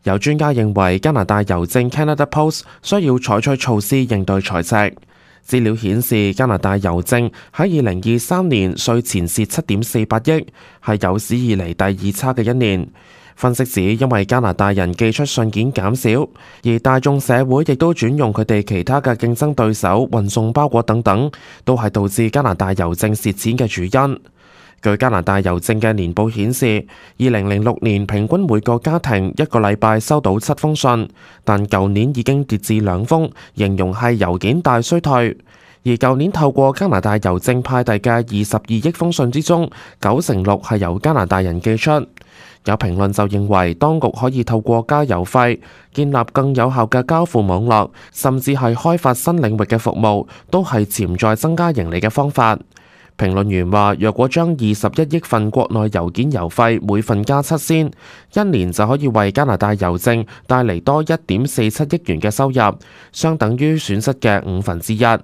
有專家認為加拿大郵政 Canada Post 需要採取措施應對財赤。資料顯示，加拿大郵政喺2023年稅前蝕7.48億，係有史以嚟第二差嘅一年。分析指，因為加拿大人寄出信件減少，而大眾社會亦都轉用佢哋其他嘅競爭對手運送包裹等等，都係導致加拿大郵政蝕錢嘅主因。據加拿大郵政嘅年報顯示，2006年平均每個家庭一個禮拜收到7封信，但舊年已經跌至2封，形容係郵件大衰退。而舊年透過加拿大郵政派遞嘅22億封信之中，96%係由加拿大人寄出。有評論就認為，當局可以透過加郵費建立更有效嘅交付網絡，甚至係開發新領域嘅服務，都係潛在增加盈利嘅方法。評論員話，若果將21億份國內郵件郵費每份加7仙，一年就可以為加拿大郵政帶嚟多1.47億元嘅收入，相等於損失嘅1/5。